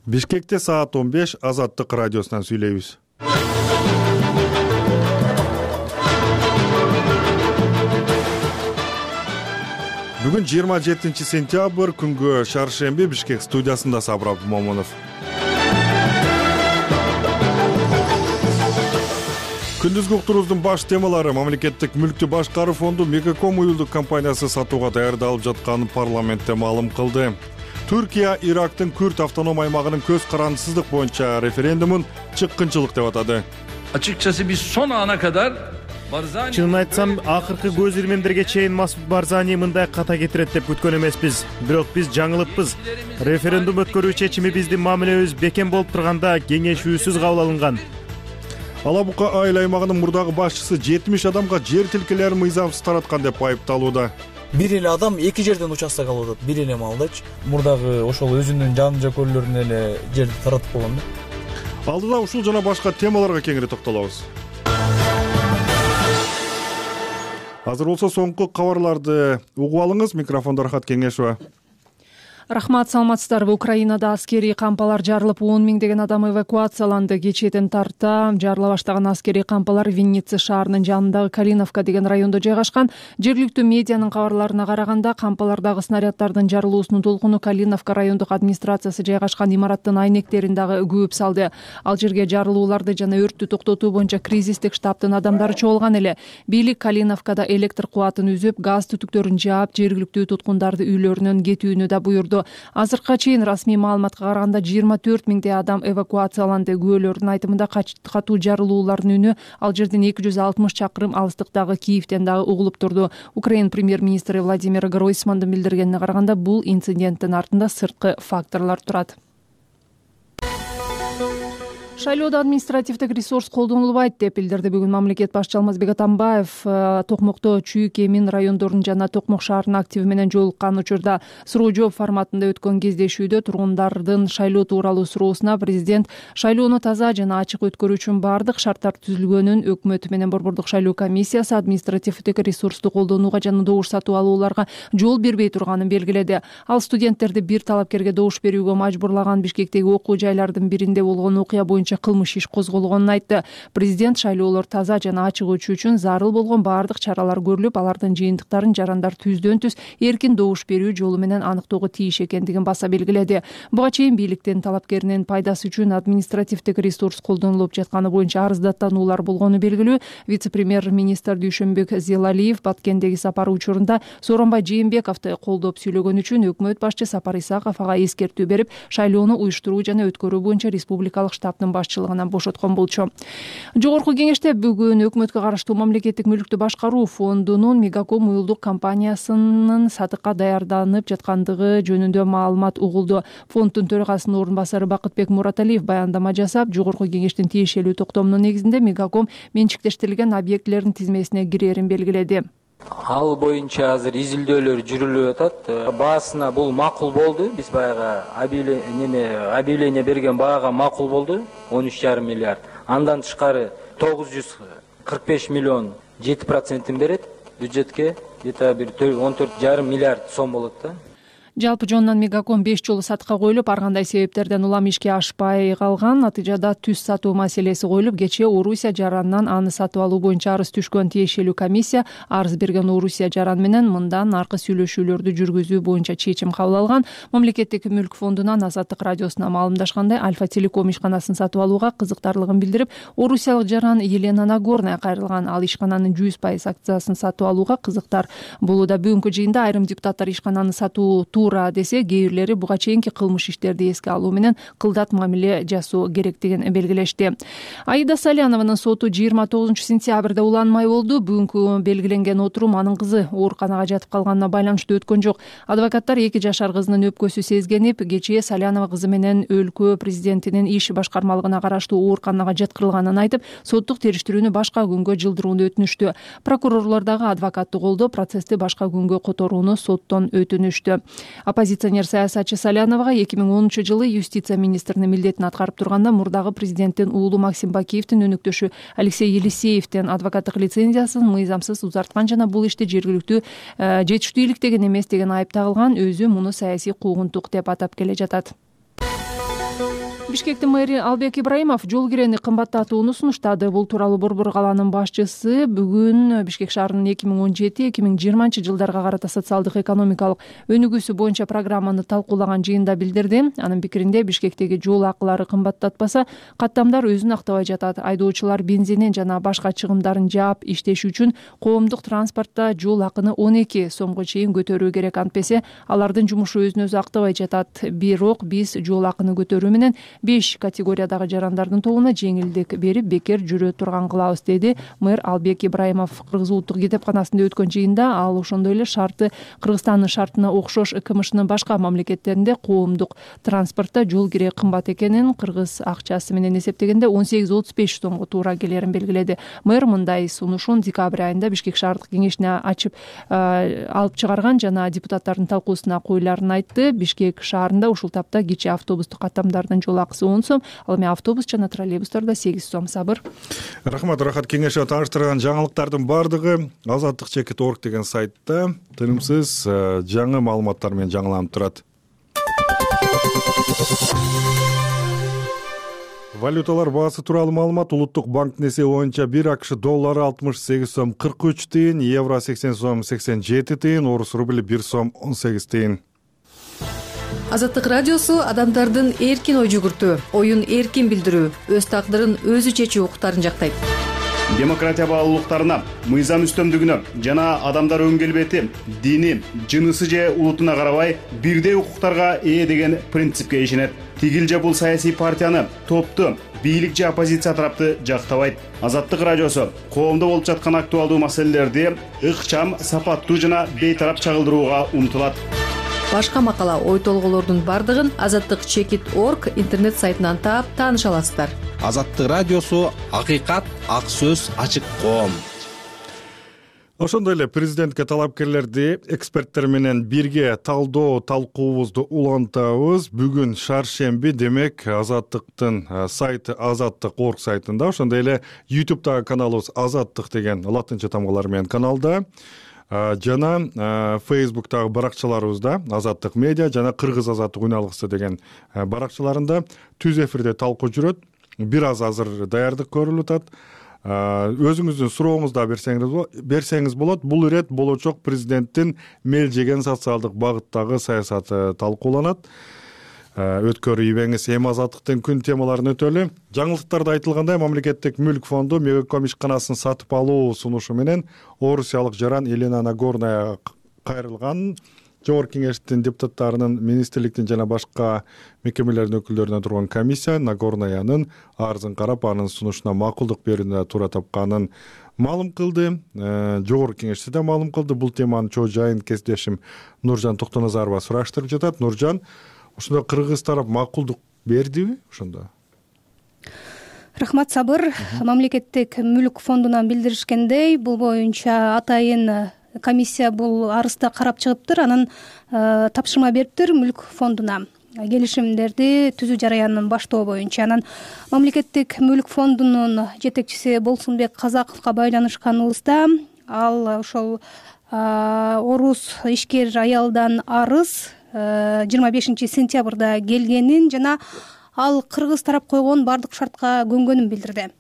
Бишкекте саат 15 Азаттык радиосунан сүйлөйбүз. Бүгүн 27 сентябрь күнгө шаршемби Бишкек студиясында Сабыр Момунов. Күндүзгү уктуруубуздун баш темалары: мамлекеттик мүлктү башкаруу фонду Мегаком уюлдук компаниясы сатууга даярдалып жатканын парламентте маалым кылды. Түркия Ирактын Күрд автоном аймагынын көз карандысыздык боюнча референдумун чыккынчылык деп атады. Açıkçası biz son ana kadar Чынын айтсам, акыркы көз ирмемдерге чейин Масуд Барзани мындай ката кетирет деп күткөн эмеспиз. Бирок биз жаңылыппыз. Референдум өткөрүү чечими биздин мамилебиз бекем болуп турганда кеңешүүсүз кабыл алынган. Алабука айыл аймагынын мурдагы башчысы 70 адамга жер тилкелерин мыйзамсыз тараткан деп айыпталууда. Бир эле адам эки жерден участок алып атат. Бир эле маалдачы. Мурдагы ошол өзүнүн жан жакөөлөрүнө эле жерди таратып койгон да. Алдыда ушул жана башка темаларга кеңири токтолобуз. Азыр болсо соңку кабарларды угуп алыңыз. Микрофондо Рахат Кеңешова. Рахмат, саламатсыздарбы. Украинада аскерий кампалар жарылып 10 миңдеген адам эвакуацияланды. Кечээден тарта жарыла баштаган аскерий кампалар Винница шаарынын жанындагы Калиновка деген райондо жайгашкан. Жергиликтүү медианын кабарларына караганда, кампалардагы снаряддардын жарылуусунун толкуну Калиновка райондук администрациясы жайгашкан имараттын айнектерин дагы күүп салды. Ал жерге жарылууларды жана өрттү токтотуу боюнча кризистик штабтын адамдары чогулган эле. Бийлик Калиновкада электр кубатын үзүп, газ түтүктөрүн жаап, жергиликтүү туткундарды үйлөрүнөн кетүүнү да буйурду. Азыркыга чейин расмий маалыматка караганда 24 миңдей адам эвакуацияланды. Күбөлөрдүн айтымында катуу жарылуулардын үнү ал жерден 260 чакырым алыстыктагы Киевден дагы угулуп турду. Украина премьер-министри Владимир Гройсмандын билдиргенине караганда, бул инциденттин артында сырткы факторлор турат. Шайлоодо административдик ресурс колдонулбайт деп билдирди бүгүн мамлекет башчысы Алмазбек Атамбаев. Токмокто Чүйүк, Эмин райондорунун жана Токмок шаарынын активи менен жолуккан учурда суроо жооп форматында өткөн кездешүүдө тургундардын шайлоо тууралуу суроосуна президент шайлоону таза жана ачык өткөрүү үчүн баардык шарттар түзүлгөнүн, өкмөт менен Борбордук шайлоо комиссиясы административдик ресурсту колдонууга жана добуш сатып алууларга жол бербей турганын белгиледи. Ал студенттерди бир талапкерге добуш берүүгө мажбурлаган Бишкектеги окуу жайлардын биринде болгон окуя боюнча кылмыш иш козголгонун айтты. Президент шайлоолор таза жана ачык өтүшү үчүн зарыл болгон баардык чаралар көрүлүп, алардын жыйынтыктарын жарандар түздөн түз эркин добуш берүү жолу менен аныктоого тийиш экендигин баса белгиледи. Буга чейин бийликтин талапкеринин пайдасы үчүн административдик ресурс колдонулуп жатканы боюнча арыздаттануулар болгону белгилүү. Вице-премьер-министр Дүйшөнбек Зелалиев Баткендеги сапары учурунда Сооронбай Жээнбековду колдоп сүйлөгөн үчүн өкмөт башчы Сапар Исаков ага эскертүү берип, шайлоону уюштуруу жана өткөрүү боюнча республикалык штабтын башчылыгынан бошоткон болчу. Жогорку кеңеште бүгүн өкмөткө караштуу мамлекеттик мүлктү башкаруу фондунун Мегаком уюлдук компаниясынын сатыкка даярданып жаткандыгы жөнүндө маалымат угулду. Фонддун төрагасынын орун басары Бакытбек Мураталиев баяндама жасап, жогорку кеңештин тиешелүү токтомунун негизинде Мегаком менчиктештирилген объектилердин тизмесине кирерин белгиледи. Ал боюнча азыр изилдөөлөр жүрүлүп атат. Баасына бул макул болду. Биз баягы объявление берген баага макул болду. 13,5 миллиард. Андан тышкары 945 миллион 7% берет бюджетке. Где-то бир 14,5 миллиард сом болот да. Жалпы жонунан Мегаком 5 жолу сатыкка коюлуп, ар кандай себептерден улам ишке ашпай калган. Натыйжада түз сатуу маселеси коюлуп, кечээ Орусия жаранынан аны сатып алуу боюнча арыз түшкөн тиешелүү комиссия арыз берген Орусия жаран менен мындан аркы сүйлөшүүлөрдү жүргүзүү боюнча чечим кабыл алган. Мамлекеттик мүлк фондунан Азаттык радиосуна маалымдашкандай, Альфа Телеком ишканасын сатып алууга кызыктарлыгын билдирип, Орусиялык жаран Елена Нагорная кайрылган. Ал ишкананын 100% акциясын сатып алууга кызыктар болууда. Бүгүнкү жыйында айрым депутаттар ишкананы сатуу десе, кээ бирлери буга чейинки кылмыш иштерди эске алуу менен кылдат мамиле жасоо керектигин белгилешти. Аида Салянованын соту 29 сентябрда уланмай болду. Бүгүнкү белгиленген отурум анын кызы ооруканага жатып калганына байланыштуу өткөн жок. Адвокаттар 2 жашар кызынын өпкөсү сезгенип, кечээ Салянова кызы менен өлкө президентинин иш башкармалыгына караштуу ооруканага жаткырылганын айтып, соттук териштирүүнү башка күнгө жылдырууну өтүнүштү. Прокурорлор дагы адвокатты колдоп, процессти башка күнгө которууну соттон өтүнүштү. Оппозиционер саясатчы Саляновага 2010 жылы юстиция министринин милдетин аткарып турганда мурдагы президенттин уулу Максим Бакиевдин өнөктөшү Алексей Елисеевден адвокаттык лицензиясын мыйзамсыз узарткан жана бул ишти жергиликтүү жетиштүү иликтеген эмес деген айып тагылган. Өзү муну саясий куугунтук деп атап келе жатат. Бишкектин мэри Албек Ибраимов жол кирени кымбаттатууну сунуштады. Бул тууралуу Борбор калаанын башчысы бүгүн Бишкек шаарынын 2017-2020 жылдарга карата социалдык экономикалык өнүгүүсү боюнча программаны талкуулаган жыйында билдирди. Анын пикиринде Бишкектеги жол акылары кымбаттатпаса, каттамдар өзүн актабай жатат. Айдоочулар бензинин жана башка чыгымдарын жаап иштеши үчүн коомдук транспортто жол акыны 12 сомго чейин көтөрүү керек. Антпесе алардын жумушу өзүн өзү актабай жатат. Бирок биз жол акыны көтөрүү менен 5 категориядагы жарандардын тобуна жеңилдик берип бекер жүрө турган кылабыз, деди мэр Албек Ибраимов. Кыргыз улуттук китепканасында өткөн жыйында ал ошондой эле шарты Кыргызстандын шартына окшош КМШнын башка мамлекеттеринде коомдук транспортто жол кире кымбат экенин, кыргыз акчасы менен эсептегенде 18-35 сомго туура келерин белгиледи. Мэр мындай сунушун декабрь айында Бишкек шаардык кеңешине ачып алып чыгарган жана депутаттардын талкуусуна коюларын айтты. Бишкек шаарында ушул тапта кичи автобустук каттамдардын жол акысы 10 сом, ал эми автобус жана троллейбустарда 8 сом. Сабыр. Рахмат. Рахат кеңеши тааныштырган жаңылыктардын бардыгы Азаттык.org деген сайтта тынымсыз жаңы маалыматтар менен жаңыланып турат. Валюталар баасы тууралуу маалымат. Улуттук банктын эсеби боюнча 1 АКШ доллары 68 сом 43 тыйын, евро 80 сом 87 тыйын, орус рубли 1 сом 18 тыйын. Азаттык радиосу адамдардын эркин ой жүгүртүү, оюн эркин билдирүү, өз тагдырын өзү чечүү укуктарын жактайт. Демократия баалуулуктарына, мыйзам үстөмдүгүнө жана адамдар өн келбети, дини, жынысы же улутуна карабай бирдей укуктарга ээ деген принципке ишенет. Тигил же бул саясий партияны, топту, бийлик же оппозиция тарапты жактабайт. Азаттык радиосу коомдо болуп жаткан актуалдуу маселелерди ыкчам, сапаттуу жана бейтарап чагылдырууга умтулат. Башка макала, ой толголордун бардыгын Азаттык.org интернет сайтынан таап тааныша аласыздар. Азаттык радиосу акыйкат, ак сөз, ачык коом. Ошондой эле президентке талапкерлерди эксперттер менен бирге талкуубузду улантабыз. Бүгүн шаршемби, демек Азаттыктын сайты Азаттык.org сайтында, ошондой эле YouTube'дагы каналыбыз Азаттык деген латынча тамгалар менен каналда, жана Facebook'тагы баракчаларыбызда Азаттык медиа жана Кыргыз Азаттык үн алгысы деген баракчаларында түз эфирде талкуу жүрөт. Бир аз азыр даярдык көрүлүп атат. Өзүңүздүн суроомузду берсеңиз болот. Бул ирет болочок президенттин мелжеген социалдык багыттагы саясаты талкууланат. Өткөрүү ийбеңиз эми Азаттыктын күн темаларын өтөлү. Жаңылыктарда айтылгандай, мамлекеттик мүлк фонду Мегаком ишканасын сатып алуу сунушу менен орусиялык жаран Елена Нагорная кайрылган. Жогорку кеңештин депутаттарынын, министрликтин жана башка мекемелердин өкүлдөрүнөн турган комиссия Нагорнаянын арызын карап, анын сунушуна макулдук берүүнү туура тапканын маалым кылды. Жогорку кеңеште да маалым кылды. Бул теманын чоо жайын кесиптешим Нуржан Токтоназарова сураштырып жатат. Нуржан, ошондо кыргыз тарап макулдук бердиби ошондо? Рахмат, Сабыр. Мамлекеттик мүлк фондунан билдиришкендей, бул боюнча атайын комиссия бул арызды карап чыгыптыр, анан тапшырма бериптир мүлк фондуна келишимдерди түзүү жараянын баштоо боюнча. Анан мамлекеттик мүлк фондунун жетекчиси Болсунбек Казаковго байланышканыбызда, ал ошол орус ишкер аялдан арыз 25 сентябрда келгенин жана ал кыргыз тарап койгон бардык шартка көнгөнүн билдирди.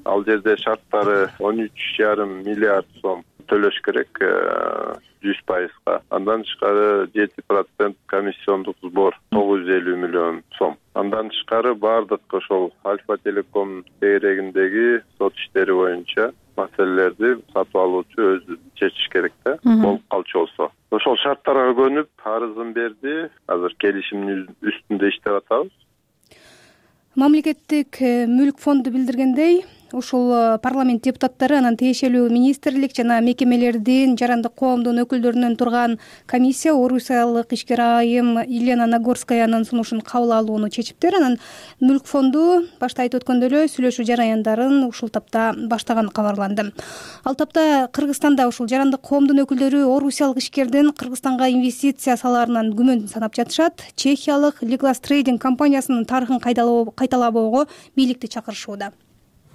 Ал жерде шарттары 13,5 миллиард сом төлөш керек 100%. Андан тышкары 7% комиссиондук сбор 950 миллион сом. Андан тышкары бардык ошол Альфа Телеком тегерегиндеги сот иштери боюнча маселелерди сатып алуучу өзү чечиш керек да, болуп калчу болсо. Ошол шарттарга көнүп арызын берди. Азыр келишимдин үстүндө иштеп атабыз. Мамлекеттик мүлк фонду билдиргендей, ушул парламент депутаттары анан тиешелүү министрлик жана мекемелердин жарандык коомдун өкүлдөрүнөн турган комиссия орусиялык ишкер айым Елена Нагорскаянын сунушун кабыл алууну чечиптир. Анан мүлк фонду башта айтып өткөндөй эле сүйлөшүү жараяндарын ушул тапта баштаганы кабарланды. Ал тапта Кыргызстанда ушул жарандык коомдун өкүлдөрү орусиялык ишкердин Кыргызстанга инвестиция салаарынан күмөн санап жатышат. Чехиялык Legal Trading компаниясынын тарыхын кайталабоого бийликти чакырышууда.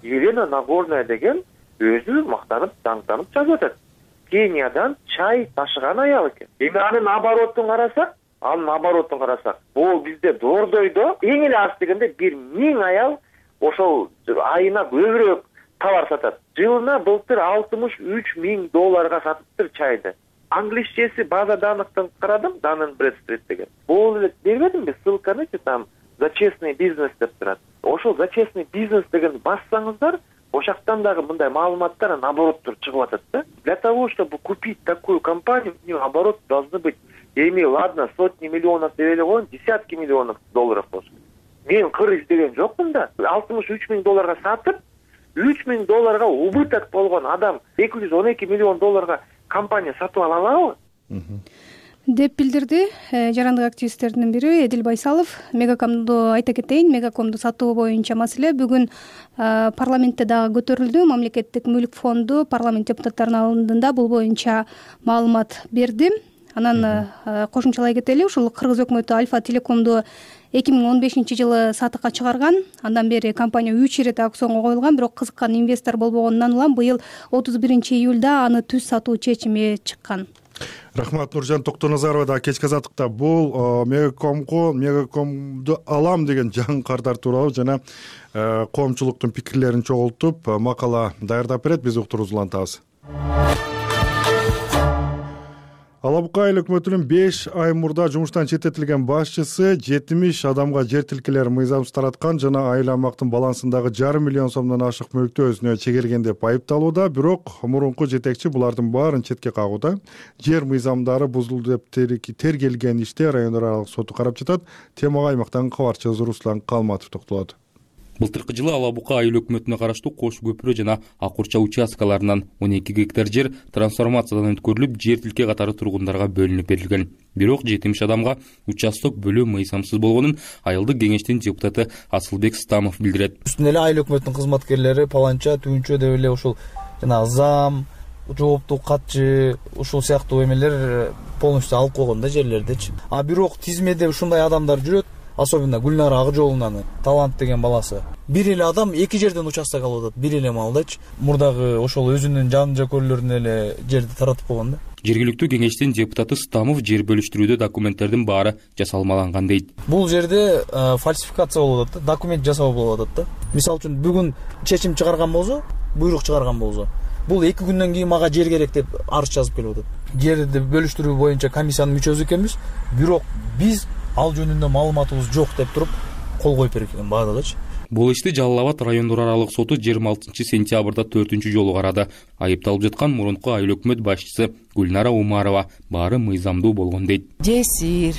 Елена Нагорная деген өзү мактанып, даңктанып жазып атат. Кениядан чай ташыган аял экен. Эми анын оборотун карасак, анын оборотун карасак, бул бизде Дордойдо эң эле аз дегенде 1000 аял ошол айына көбүрөөк товар сатат. Жылына былтыр $63,000 сатыптыр чайды. Англисчеси база данныктан карадым, Dun & Bradstreet деген. Бул эле бербедимби ссылканы, там за честный бизнес деп турат. Ошол за честный бизнес деген бассаңыздар, ошактан дагы мындай маалыматтар наобороттур чыгып атат да. Для того, чтобы купить такую компанию, у нее оборот должны быть, я имею, ладно, сотни миллионов деп коеюн, десятки миллионов долларов болсун. Мен кыр издеген жокмун да. $63,000 сатып, $3,000 убыток болгон адам $212 миллион компания сатып ала алабы? Деп билдирди жарандык активисттердин бири Эдил Байсалов. Мегакомду айта кетейин, Мегакомду сатуу боюнча маселе бүгүн парламентте дагы көтөрүлдү. Мамлекеттик мүлк фонду парламент депутаттарынын алдында бул боюнча маалымат берди. Анан кошумчалай кетели, ушул Кыргыз өкмөтү Альфа Телекомду 2015-жылы сатыкка чыгарган. Андан бери компания 3 ирет аукционго коюлган, бирок кызыккан инвестор болбогонунан улам быйыл 31-июлда аны түз сатуу чечими чыккан. Рахмат, Нуржан Токтоназарова да кечки азаттыкта бул Мегакомду алам деген жаңы кардар тууралуу жана коомчулуктун пикирлерин чогултуп макала даярдап берет, биз уктуруубузду улантабыз. Ала Бука айыл өкмөтүнүн 5 ай мурда жумуштан четтетилген башчысы 70 адамга жер тилкелер мыйзамсыз тараткан жана айыл аймактын балансындагы $500 миллион сомдон ашык мүлктү өзүнө чегерген деп айыпталууда. Бирок мурунку жетекчи булардын баарын четке кагууда. Жер мыйзамдары бузулду деп тергелген иште райондор аралык соту карап жатат. Темага аймактан кабарчыбыз Руслан Калматов токтолот. Былтыркы жылы Ала Бука айыл өкмөтүнө караштуу Кош көпүрө жана Ак Урча участкаларынан 12 гектар жер трансформациядан өткөрүлүп, жер тилке катары тургундарга бөлүнүп берилген. Бирок 70 адамга участок бөлүү мыйзамсыз болгонун айылдык кеңештин депутаты Асылбек Стамов билдирет. Үстүнө эле айыл өкмөтүнүн кызматкерлери паланча, түнчө деп эле ушул жана зам, жооптуу катчы, ушул сыяктуу эмелер полностью алып койгон да жерлердичи. А бирок тизмеде ушундай адамдар жүрөт. Особенно Гүлнара Акжолунаны, талант деген баласы. Бир эле адам 2 жерден участок алып атат, бир эле маалдачы. Мурдагы ошол өзүнүн жан жакөрлөрүнө эле жерди таратып койгон да. Жергиликтүү кеңештин депутаты Стамов жер бөлүштүрүүдө документтердин баары жасалмаланган дейт. Бул жерде фальсификация болуп атат да, документ жасоо болуп атат да. Мисалы үчүн бүгүн чечим чыгарган болсо, буйрук чыгарган болсо, бул 2 күндөн кийин мага жер керек деп арыз жазып келип атат. Жерди бөлүштүрүү боюнча комиссиянын мүчөсү экенбиз, бирок биз ал жөнүндө маалыматыбыз жок деп туруп кол коюп берген баардыгычы. Бул ишти Жалал Абад райондор аралык соту 26 сентябрда 4-үнчү жолу карады. Айыпталып жаткан мурунку айыл өкмөт башчысы Гүлнара Умарова баары мыйзамдуу болгон дейт. Жесир,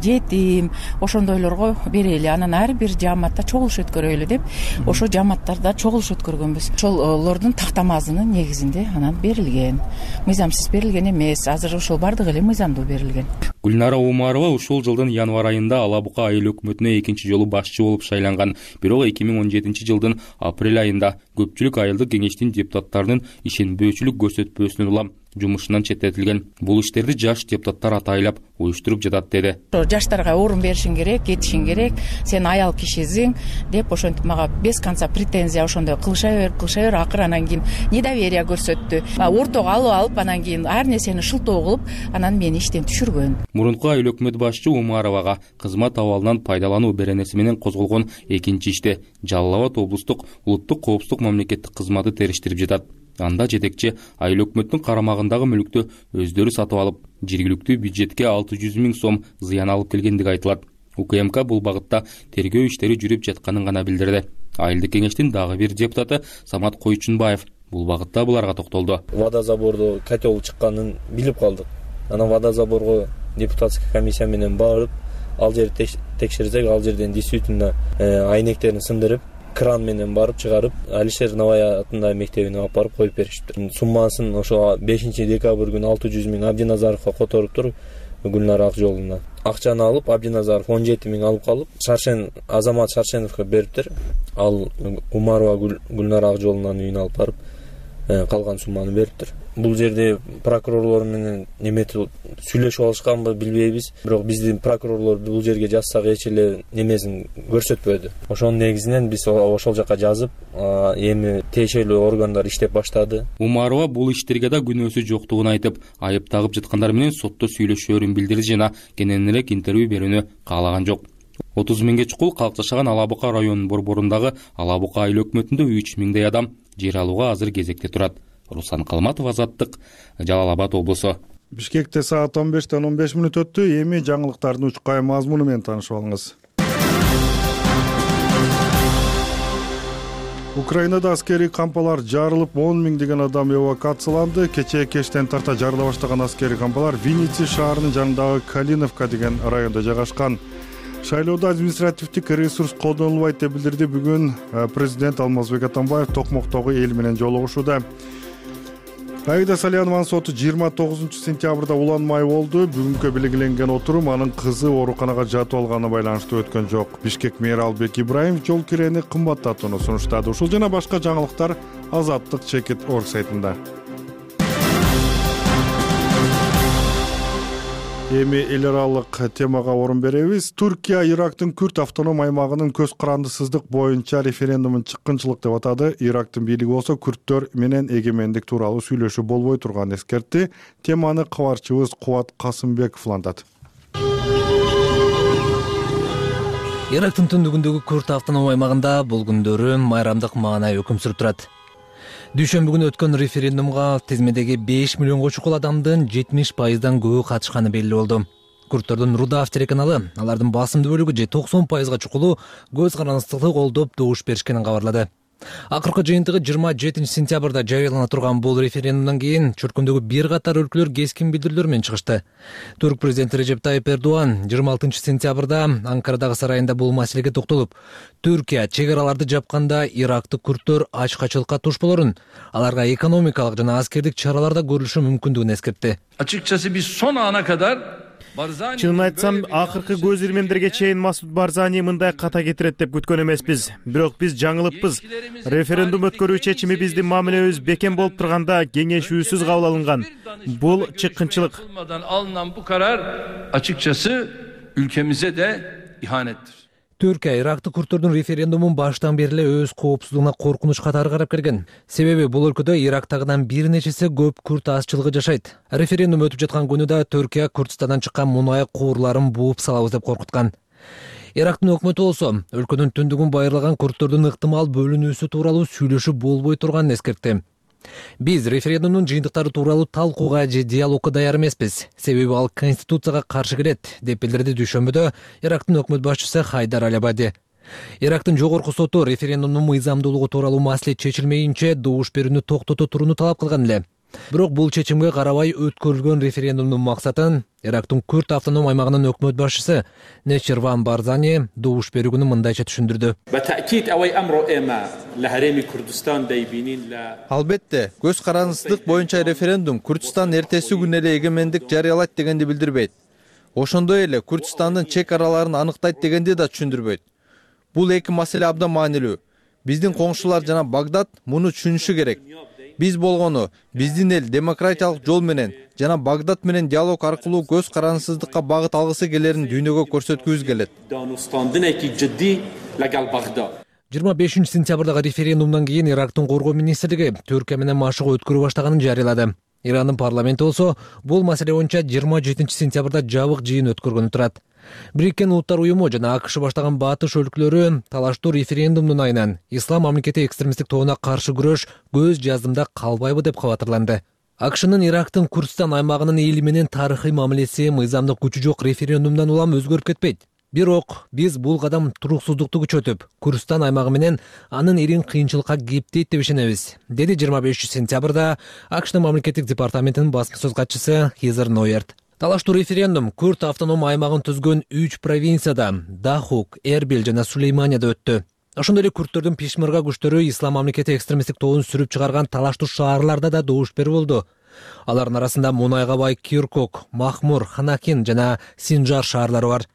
жетим, ошондойлорго берели, анан ар бир жааматта чогулуш өткөрөлү деп, ошо жааматтарда чогулуш өткөргөнбүз. Ошолордун тактамасынын негизинде анан берилген. Мыйзамсыз берилген эмес, азыр ошол бардыгы эле мыйзамдуу берилген. Гүлнара Умарова ушул жылдын январь айында Ала Бука айыл өкмөтүнө 2-нчи жолу башчы болуп шайланган. Бирок 2017 жылдын апрель айында көпчүлүк айылдык кеңештин депутаттарынын ишенбөөчүлүк көрсөтпөөсүнөн улам жумушунан четтетилген. Бул иштерди жаш депутаттар атайлап уюштуруп жатат деди. Жаштарга орун беришиң керек, кетишиң керек, сен аял кишисиң деп ошентип мага без конца претензия ошондой кылыша бер, акыры анан кийин недоверие көрсөттү. Ортого алып анан кийин ар нерсени шылтоо кылып, анан мени иштен түшүргөн. Мурунку айыл өкмөт башчы Умаровага кызмат абалынан пайдалануу беренеси менен козголгон 2-нчи иште Жалал Абад облустук улуттук коопсуздук мамлекеттик кызматы териштирип жатат. Анда жетекчи айыл өкмөттүн карамагындагы мүлктү өздөрү сатып алып, жергиликтүү бюджетке 600 000 сом зыян алып келгендиги айтылат. УКМК бул багытта тергөө иштери жүрүп жатканын гана билдирди. Айылдык кеңештин дагы бир депутаты Самат Койчунбаев бул багытта буларга токтолду. Водозабордо котел чыкканын билип калдык. Анан водозаборго депутатский комиссия менен барып, ал жерди текшерсек, ал жерден действительно айнектерин сындырып, кран менен барып чыгарып, Алишер Навай атындагы мектебине алып барып коюп беришиптир. Суммасын ошо 5-декабрь күнү 600 000 Абдиназаровго которуптур, Гүлнара Акжолуна. Акчаны алып, Абдиназаров 17 000 алып калып, Азамат Шаршеновго бериптир. Ал Умарова Гүлнара Акжолунанын үйүнө алып барып калган сумманы бериптир. Бул жерде прокурорлор менен сүйлөшүп алышканбы билбейбиз, бирок биздин прокурорлор бул жерге жазсак эч эле немесин көрсөтпөдү. Ошонун негизинен биз ошол жака жазып, эми тиешелүү органдар иштеп баштады. Умарова бул иштерге да күнөөсү жоктугун айтып, айып тагып жаткандар менен сотто сүйлөшөөрүн билдирди жана кененирээк интервью берүүнү каалаган жок. 30 миңге чукул калк жашаган Ала Бука районунун борборундагы Ала Бука айыл өкмөтүндө 3 миңдей адам жер алууга азыр кезекте турат. Руслан Калматов, Азаттык, Жалал Абад облусу. Бишкекте саат 15:15 өттү. Эми жаңылыктардын учкай мазмуну менен таанышып алыңыз. Украинада аскерий кампалар жарылып, 10 миңдеген адам эвакуацияланды. Кечээ кештен тарта жарыла баштаган аскерий кампалар Винница шаарынын жанындагы Калиновка деген райондо жайгашкан. Шайлоодо административдик ресурс колдонулбайт деп билдирди бүгүн президент Алмазбек Атамбаев Токмоктогу эл менен жолугушууда. Аида Салянованын соту 29 сентябрда уланмай болду. Бүгүнкү белгиленген отурум анын кызы ооруканага жатып алганы байланыштуу өткөн жок. Бишкек мери Албек Ибраимов жол кирени кымбаттатууну сунуштады. Ушул жана башка жаңылыктар Азаттык Чекит.org сайтында. Эми эл аралык темага орун беребиз. Түркия Ирактын Күрд автоном аймагынын көз карандысыздык боюнча референдумун чыккынчылык деп атады. Ирактын бийлиги болсо күрдтөр менен эгемендик тууралуу сүйлөшүү болбой турганын эскертти. Теманы кабарчыбыз Кубат Касымбеков улантат. Ирактын түндүгүндөгү Күрд автоном аймагында бул күндөрү майрамдык маанай өкүм сүрүп турат. Дүйшөмбү күнү өткөн референдумга тизмедеги 5 миллионго чукул адамдын 70% көбү катышканы белгилүү болду. Күрдтөрдүн Рудав телеканалы алардын басымдуу бөлүгү же 90% чукулу көз карандысыздыкты колдоп добуш беришкенин кабарлады. Акыркы жыйынтыгы 27 сентябрда жарыялана турган бул референдумдан кийин чуркундагы бир катар өлкөлөр кескин билдирүүлөр менен чыгышты. Түрк президенти Режеп Тайип Эрдоган 26 сентябрда Анкарадагы сарайында бул маселеге токтолуп, Түркия чек араларды жапканда Ирактык күрдтөр ачкачылыкка туш болорун, аларга экономикалык жана аскердик чараларда көрүлүшү мүмкүндүгүн эскертти. Açıkçası biz son ana kadar Чынын айтсам, акыркы көз ирмемдерге чейин Масуд Барзани мындай ката кетирет деп күткөн эмеспиз. Бирок биз жаңылыппыз. Референдум өткөрүү чечими биздин мамилебиз бекем болуп турганда кеңешүүсүз кабыл алынган. Бул чыккынчылык. Alınan bu karar açıkçası ülkemize de ihanettir. Түркия Ирактык күрдтөрдүн референдумун баштан бери эле өз коопсуздугуна коркунуч катары карап келген. Себеби бул өлкөдө Ирактагыдан бир нечеси көп күрд азчылыгы жашайт. Референдум өтүп жаткан күнү да Түркия Курдистандан чыккан мунай куурларын бууп салабыз деп коркуткан. Ирактын өкмөтү болсо өлкөнүн түндүгүн байырлаган күрдтөрдүн ыктымал бөлүнүүсү тууралуу сүйлөшүп болбой турганын эскертти. Биз референдумдун жыйынтыктары тууралуу талкууга же диалогко даяр эмеспиз. Себеби ал конституцияга каршы келет, деп билдирди дүйшөмбүдө Ирактын өкмөт башчысы Хайдар Аль-Абади. Ирактын жогорку соту референдумдун мыйзамдуулугу тууралуу маселе чечилмейинче добуш берүүнү токтото турууну талап кылган эле. Бирок бул чечимге карабай өткөрүлгөн референдумдун максатын Ирактын Күрд автоном аймагынын өкмөт башчысы Нечирван Барзани добуш берүүнү мындайча түшүндүрдү. Албетте, көз карандысыздык боюнча референдум Күрдистан эртеси күнү эле эгемендик жарыялайт дегенди билдирбейт. Ошондой эле Күрдистандын чек араларын анықтайт дегенди да түшүндүрбөйт. Бул эки маселе абдан маанилүү. Биздин коңшулар жана Багдад муну түшүнүшү керек. Биз болгону биздин эл демократиялык жол менен жана Багдад менен диалог аркылуу көз карандысыздыкка багыт алгысы келерин дүйнөгө көрсөткүбүз келет. 25 сентябрдагы референдумдан кийин Ирактын коргоо министрлиги Түркия менен машыгуу өткөрүп баштаганын жарыялады. Ирандын парламенти болсо бул маселе боюнча 27 сентябрда жабык жыйын өткөргөнү турат. Бириккен Улуттар уюму жана АКШ баштаган батыш өлкөлөрү талаштуу референдумдун айынан ислам мамлекети экстремисттик тобуна каршы күрөш көз жаздымда калбайбы деп кабатырланды. АКШнын Ирактын Курдистан аймагынын эли менен тарыхый мамилеси мыйзамдык күчү жок референдумдан улам өзгөрүп кетпейт. Бирок биз бул кадам туруксуздукту күчөтүп, Курдистан аймагы менен анын эрин кыйынчылыкка кептейт деп ишенебиз, деди 25 сентябрда АКШнын мамлекеттик департаментинин басма сөз катчысы Хизер Нойерт. Талаштуу референдум Күрд автоном аймагын түзгөн 3 провинцияда Дахук, Эрбил жана Сулейманияда өттү. Ошондой эле күрдтөрдүн Пешмерга күчтөрү ислам мамлекети экстремисттик тобун сүрүп чыгарган талаштуу шаарларда да добуш берүү болду. Алардын арасында мунайга бай Киркук, Махмур, Ханакин жана Синжар шаарлары бар.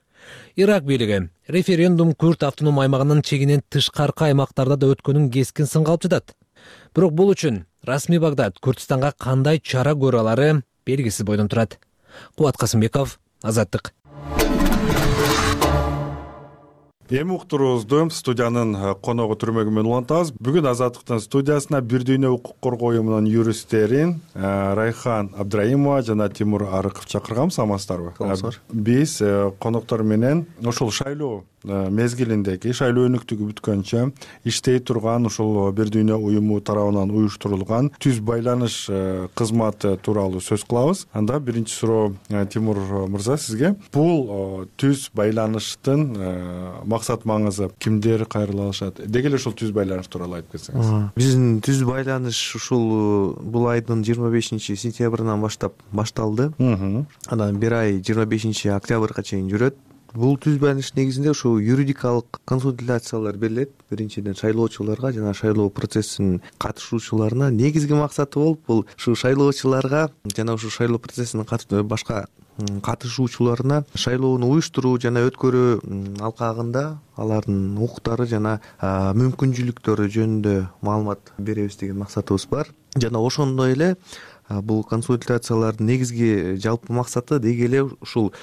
Ирак бийлиги референдум Күрд автоном аймагынын чегинен тышкаркы аймактарда да өткөнүн кескин сынга алып жатат. Бирок бул үчүн расмий Багдад Күрдүстанга кандай чара көрө алары белгисиз бойдон турат. Кубат Касымбеков, Азаттык. Эми уктуруубузду студиянын коногу түрмөгү менен улантабыз. Бүгүн Азаттыктын студиясына Бир дүйнө укук коргоо уюмунун юристтерин Райхан Абдраимова жана Тимур Арыков чакырганбыз. Амансыздарбы? Биз коноктор менен ошол шайлоо мезгилиндеги шайлоо өнүктүгү бүткөнчө иштей турган ушул Бир дүйнө уюму тарабынан уюштурулган түз байланыш кызматы тууралуу сөз кылабыз. Анда биринчи суроо Тимур мырза сизге. Бул түз байланыштын максат маңызы кимдер кайрыла алышат? Деги эле ушул түз байланыш тууралуу айтып кетсеңиз. Биздин түз байланыш ушул бул айдын 25-сентябрынан баштап башталды. Анан бир ай 25-октябрга чейин жүрөт. Бул түз байланыш негизинде ушул юридикалык консультациялар берилет. Биринчиден шайлоочуларга жана шайлоо процессинин катышуучуларына. Негизги максаты болуп бул ушул шайлоочуларга жана ушул шайлоо процессине башка катышуучуларына шайлоону уюштуруу жана өткөрүү алкагында алардын укуктары жана мүмкүнчүлүктөрү жөнүндө маалымат беребиз деген максатыбыз бар. Жана ошондой эле бул консультациялардын негизги жалпы максаты деги эле ушул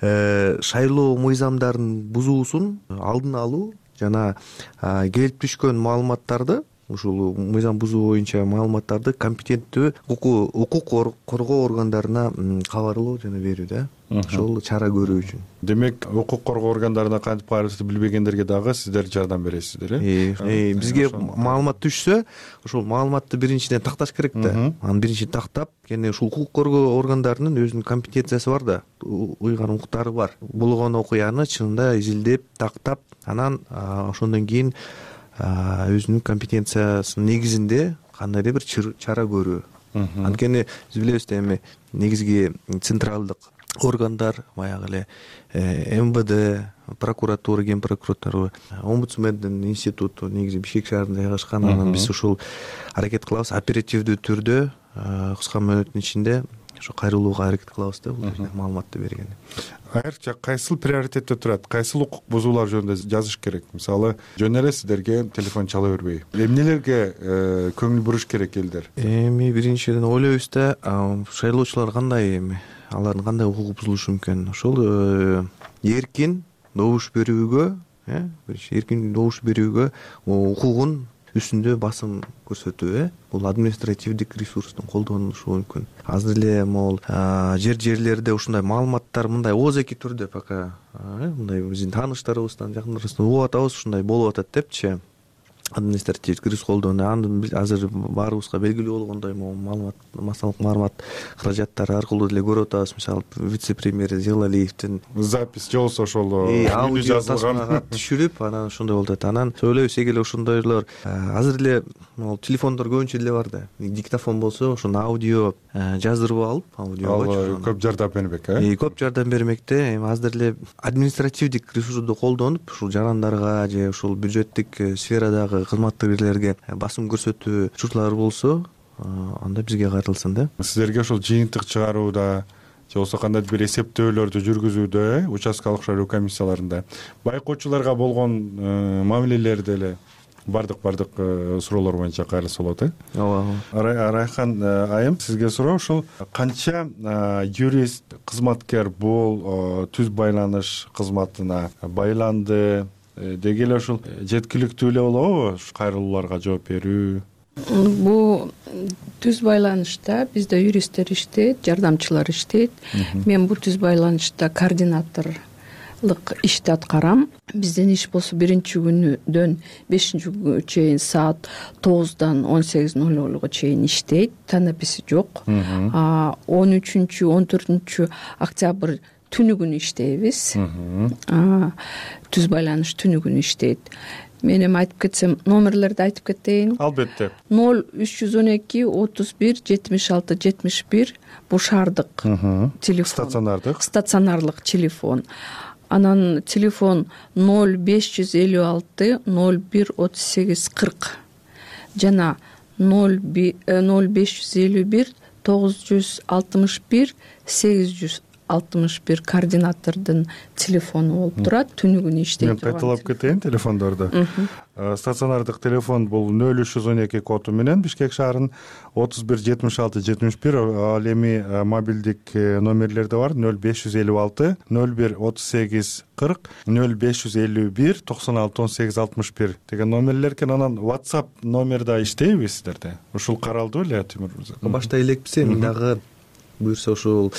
шайлоо мыйзамдарын бузуусун алдын алуу жана келип түшкөн маалыматтарды ушул мыйзам бузуу боюнча маалыматтарды компетенттүү укук коргоо органдарына кабарлоо жана берүү да. Ошол чара көрүү үчүн. Демек, укук коргоо органдарына кантип кабарлашты билбегендерге дагы сиздер жардам бересиздер, э? Бизге маалымат түшсө, ошол маалыматты биринчиден такташ керек да. Аны биринчи тактап, кene ушул укук коргоо органдарынын өзүнүн компетенциясы бар да, уйган укуктары бар. Болгон окуяны чынында изилдеп, тактап, анан ошондон кийин өзүнүн компетенциясынын негизинде кандайдыр бир чара көрүү. Анткени биз билебиз да эми негизги централдык органдар баягы эле МВД, прокуратура, ген прокуратура, омбудсмендин институту негизи Бишкек шаарында жайгашкан. Анан биз ушул аракет кылабыз оперативдүү түрдө кыска мөөнөттүн ичинде ошо кайрылууга аракет кылабыз да бул жерде маалыматты берген. Айрыкча кайсыл приоритетте турат? Кайсыл укук бузуулар жөнүндө жазыш керек? Мисалы, жөн эле сиздерге телефон чала бербей. Эмнелерге көңүл буруш керек элдер? Эми биринчиден ойлойбуз да, шайлоочулар кандай эми алардын кандай укугу бузулушу мүмкүн? Ошол эркин добуш берүүгө, эркин добуш берүүгө укугун үстүндө басым көрсөтүү, бул административдик ресурстун колдонулушу мүмкүн. Азыр эле могул жерлерде ушундай маалыматтар мындай ооз-эки түрдө пока мындай биздин тааныштарыбыздан, жакындарыбыздан угуп атабыз, ушундай болуп атат депчи. Административдик ресурс колдонуу аны азыр баарыбызга белгилүү болгондой маалымат, массалык маалымат каражаттары аркылуу деле көрүп атабыз. Мисалы, вице-премьер Зелалиевдин запись же болсо ошол аудио тасмага түшүрүп, анан ошондой болуп атат. Анан сөйлөйбүз, эги эле ошондойлор азыр эле телефондор көбүнчө деле бар да. Диктофон болсо ошону аудио жаздырып алып, аудиого көп жардам бермек, көп жардам бермек да. Эми азыр эле административдик ресурсту колдонуп, ушул жарандарга же ушул бюджеттик сферадагы кызматкерлерге басым көрсөтүү учурлары болсо, анда бизге кайрылсын да. Сиздерге ошол жыйынтык чыгарууда же болсо кандайдыр бир эсептөөлөрдү жүргүзүүдө, участкалык шайлоо комиссияларында байкоочуларга болгон мамилелерде эле бардык суроолор боюнча кайрылса болот, Ооба. Райхан айым, сизге суроо, ушул канча юрист, кызматкер бул түз байланыш кызматына байланды? Деги эле ушул жеткиликтүү эле болобу кайрылууларга жооп берүү? Бул түз байланышта бизде юристтер иштейт, жардамчылар иштейт. Мен бул түз байланышта координаторлук ишти аткарам. Биздин иш болсо биринчи күнүдөн 5-күнгө чейин саат 9-дан 18:00 чейин иштейт. Танаписи жок. 13-14 октябрь түнү күнү иштейбиз. Түз байланыш түнү күнү иштейт. Мен эми айтып кетсем, номерлерди айтып кетейин. Албетте. 0312 31 76 71 бул шаардык телефон. Стационарлык телефон. Анан телефон 0556 01 38 40 жана 0551 961 800 61 координатордун телефону болуп турат, түнү күнү иштей турган. Мен кайталап кетейин телефондорду. Стационардык телефон бул 0312 коду менен Бишкек шаарынын 31 76 71, ал эми мобилдик номерлерде бар 0556 01 38 40 0551 96 18 61 деген номерлер экен. Анан WhatsApp номер да иштейби сиздерде? Ушул каралды беле Тимур мырза? Баштай элекпиз, эми дагы буюрса ушул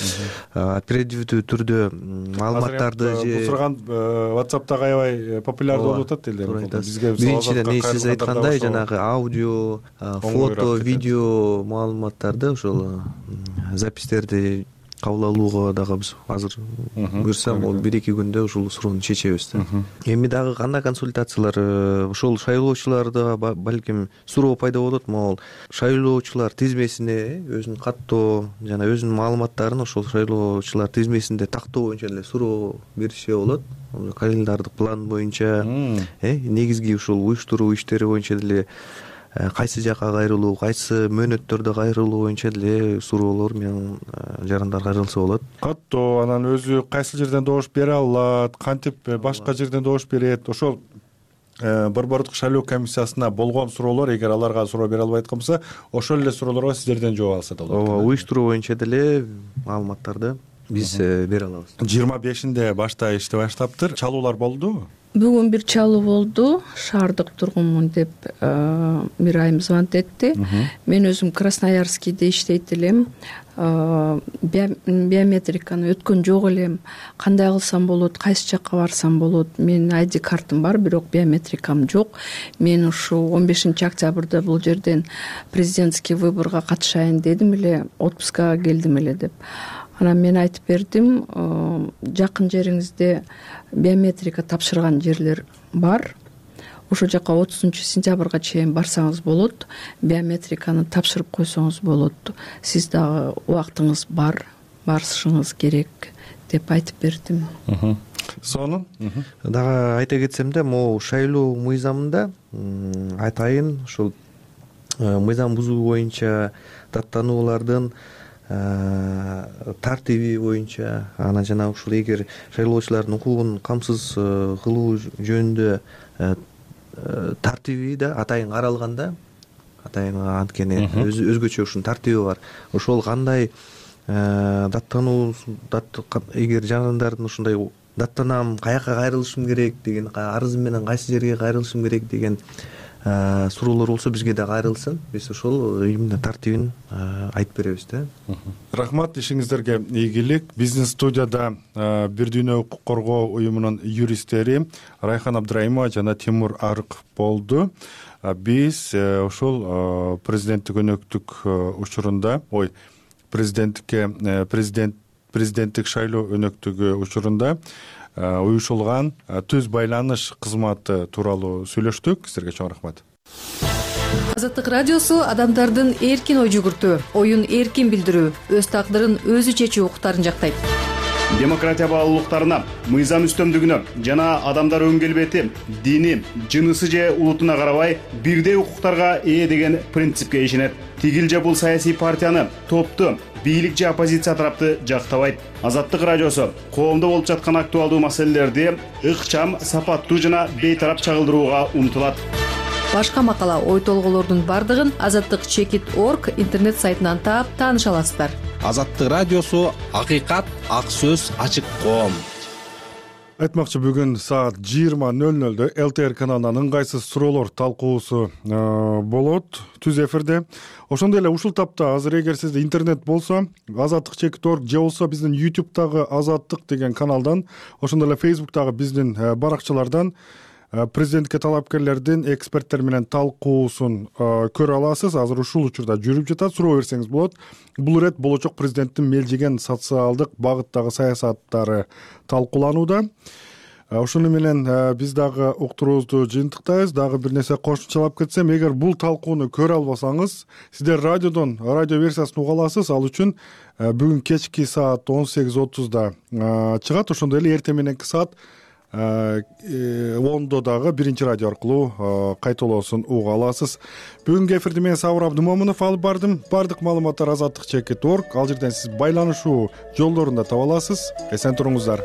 оперативдүү түрдө маалыматтарды бул сураган WhatsApp'та аябай популярдуу болуп атат эле. Бизге биринчиден сиз айткандай жанагы аудио, фото, видео маалыматтарды ошол записьтерди кабыл алууга дагы биз азыр буюрса могул 1-2 күндө ушул суроону чечебиз да. Эми дагы кандай консультациялар ошол шайлоочуларда балким суроо пайда болот, могул шайлоочулар тизмесине өзүнүн каттоо жана өзүнүн маалыматтарын ошол шайлоочулар тизмесинде тактоо боюнча эле суроо беришсе болот. Календардык план боюнча негизги ушул уюштуруу иштери боюнча деле кайсы жакка кайрылуу, кайсы мөөнөттөрдө кайрылуу боюнча деле суроолор менен жарандар кайрылса болот. Каттоо анан өзү кайсы жерден добуш бере алат, кантип башка жерден добуш берет, ошол борбордук шайлоо комиссиясына болгон суроолор, эгер аларга суроо бере албай аткан болсо, ошол эле суроолорго сиздерден жооп алса да болот. Ооба, уюштуруу боюнча деле маалыматтарды биз бере алабыз. 25-инде башта ишти баштаптыр. Чалуулар болдубу? Бүгүн бир чалуу болду. Шаардык тургунмун деп бир айым звонок этти. Мен өзүм Красноярскийде иштейт элем. Биометриканы өткөн жок элем. Кандай кылсам болот, кайсы жакка барсам болот? Менин ID картым бар, бирок биометрикам жок. Мен ушу 15 октябрда бул жерден президентский выборго катышайын дедим эле, отпускага келдим эле деп. Анан мен айтып бердим, жакын жериңизде биометрика тапшырган жерлер бар. Ошол жака 30-сентябрга чейин барсаңыз болот, биометриканы тапшырып койсоңуз болот. Сиз дагы убактыңыз бар, барышыңыз керек деп айтып бердим. Сонун дагы айта кетсем да, могу шайлоо мыйзамында атайын ушул мыйзам бузуу боюнча даттануулардын тартиби боюнча, анан жана ушул эгер шайлоочулардын укугун камсыз кылуу жөнүндө тартиби да атайын каралганда, атайын анткени өзгөчө ушунун тартиби бар. Ошол кандай даттануу, эгер жарандардын ушундай даттанам, каяка кайрылышым керек деген, арызым менен кайсы жерге кайрылышым керек деген суроолор болсо бизге да кайрылсын. Биз ошол именно тартибин айтып беребиз да. Рахмат, ишиңиздерге ийгилик. Бизнес студияда Бир дүйнө укук коргоо уюмунун юристтери Райхан Абдраимова жана Тимур Арыков болду. Биз ошол президенттик өнөктүк учурунда, президенттик шайлоо өнөктүгү учурунда уюшулган түз байланыш кызматы тууралуу сүйлөштүк. Силерге чоң рахмат. Азаттык радиосу адамдардын эркин ой жүгүртүү, оюн эркин билдирүү, өз тагдырын өзү чечүү укуктарын жактайт. Демократия баалуулуктарына, мыйзам үстөмдүгүнө жана адамдар өн келбети, дини, жынысы же улутуна карабай бирдей укуктарга ээ деген принципке ишенет. Тигил же бул саясий партияны, топту, бийлик же оппозиция тарапты жактабайт. Азаттык радиосу коомдо болуп жаткан актуалдуу маселелерди ыкчам, сапаттуу жана бейтарап чагылдырууга умтулат. Башка макала, ой толголордун бардыгын azattik.org интернет сайтынан таап тааныша аласыздар. Азаттык радиосу акыйкат, ак сөз, ачык коом. Айтмакчы, бүгүн саат 20:00 ЛТР каналынан ыңгайсыз суроолор талкуусу болот түз эфирде. Ошондой эле ушул тапта азыр эгер сизде интернет болсо, azattik.org же болсо биздин YouTube'дагы Азаттык деген каналдан, ошондой эле Facebook'дагы биздин баракчалардан президенттикке талапкерлердин эксперттер менен талкуусун көрө аласыз. Азыр ушул учурда жүрүп жатат. Суроо берсеңиз болот. Бул ирет болочок президенттин мелжиген социалдык багыттагы саясаттары талкууланууда. Ошону менен биз дагы уктуруубузду жыйынтыктайбыз. Дагы бир нерсе кошумчалап кетсем, эгер бул талкууну көрө албасаңыз, сиздер радиодон радио версиясын уга аласыз. Ал үчүн бүгүн кечки саат 18:30 чыгат. Ошондой эле эртең мененки саат ондо дагы биринчи радио аркылуу кайталоосун уга аласыз. Бүгүнкү эфирди мен Сабыр Абдымомунов алып бардым. Бардык маалыматтар azаттык.org. Ал жерден сиз байланышуу жолдорун да таба аласыз. Эсен туруңуздар.